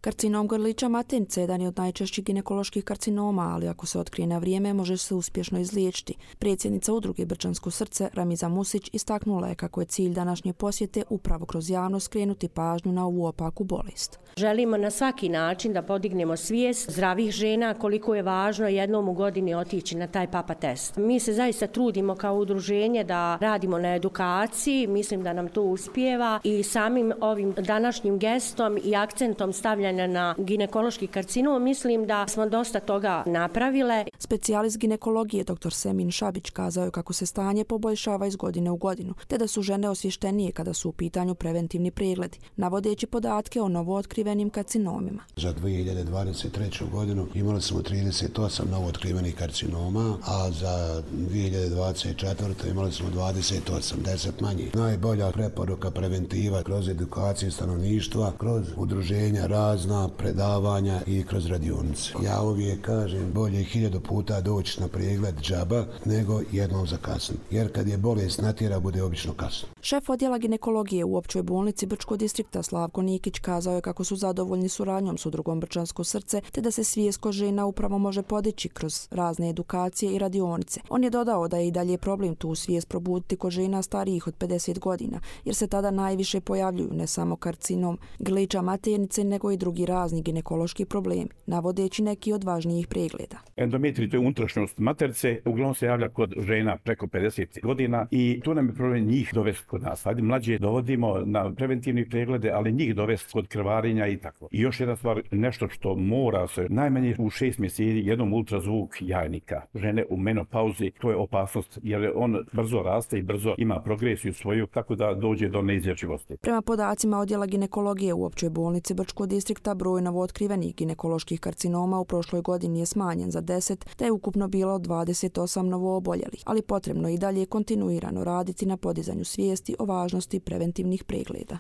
Karcinom grlića maternice je jedan od najčešćih ginekoloških karcinoma, ali ako se otkrije na vrijeme, može se uspješno izliječiti. Predsjednica udruge Brčansko srce, Ramiza Musić, istaknula je kako je cilj današnje posjete upravo kroz javnost skrenuti pažnju na ovu opaku bolest. Želimo na svaki način da podignemo svijest zdravih žena koliko je važno jednom u godini otići na taj papa test. Mi se zaista trudimo kao udruženje da radimo na edukaciji, mislim da nam to uspijeva i samim ovim današnjim gestom i akcentom stavljanja na ginekološki karcinom, mislim da smo dosta toga napravile. Specijalist ginekologije dr. Semin Šabić kazao je kako se stanje poboljšava iz godine u godinu, te da su žene osvještenije kada su u pitanju preventivni pregledi, navodeći podatke o novootkrivenim karcinomima. Za 2023. godinu imali smo 38 novootkrivenih karcinoma, a za 2024. imali smo 28, 10 manje. Najbolja preporuka preventiva kroz edukaciju stanovništva, kroz udruženja razna predavanja i kroz radionice. Ja uvijek kažem bolje 1000 puta doći na pregled džaba nego jednom zakasno. Jer kad je bolest natjera, bude obično kasno. Šef odjela ginekologije u općoj bolnici Brčkog distrikta Slavko Nikić kazao je kako su zadovoljni suradnjom s udrugom Brčansko srce, te da se svijest kod žena upravo može podići kroz razne edukacije i radionice. On je dodao da je i dalje problem tu svijest probuditi kod žena starijih od 50 godina, jer se tada najviše pojavljuju ne samo karcinom grlića maternice, nego i drugi razni ginekološki problemi, navodeći neki od važnijih pregleda. Endometrij, to je unutrašnjost maternice, uglavnom se javlja kod žena preko 50 godina i tu nam je problem njih dovesti kod nas. Hajde, mlađe dovodimo na preventivne preglede, ali njih dovesti kod krvarenja i tako. I još jedna stvar, nešto što mora se najmanje u 6 mjeseci jednom ultrazvuk jajnika. Žene u menopauzi, to je opasnost jer on brzo raste i brzo ima progresiju svoju, tako da dođe do neizlječivosti. Prema podacima odjela ginekologije u općoj bolnici Brčkog distrikta, broj novootkrivenih ginekoloških karcinoma u prošloj godini je smanjen za 10, te je ukupno bilo 28 novooboljelih, ali potrebno je i dalje kontinuirano raditi na podizanju svijesti o važnosti preventivnih pregleda.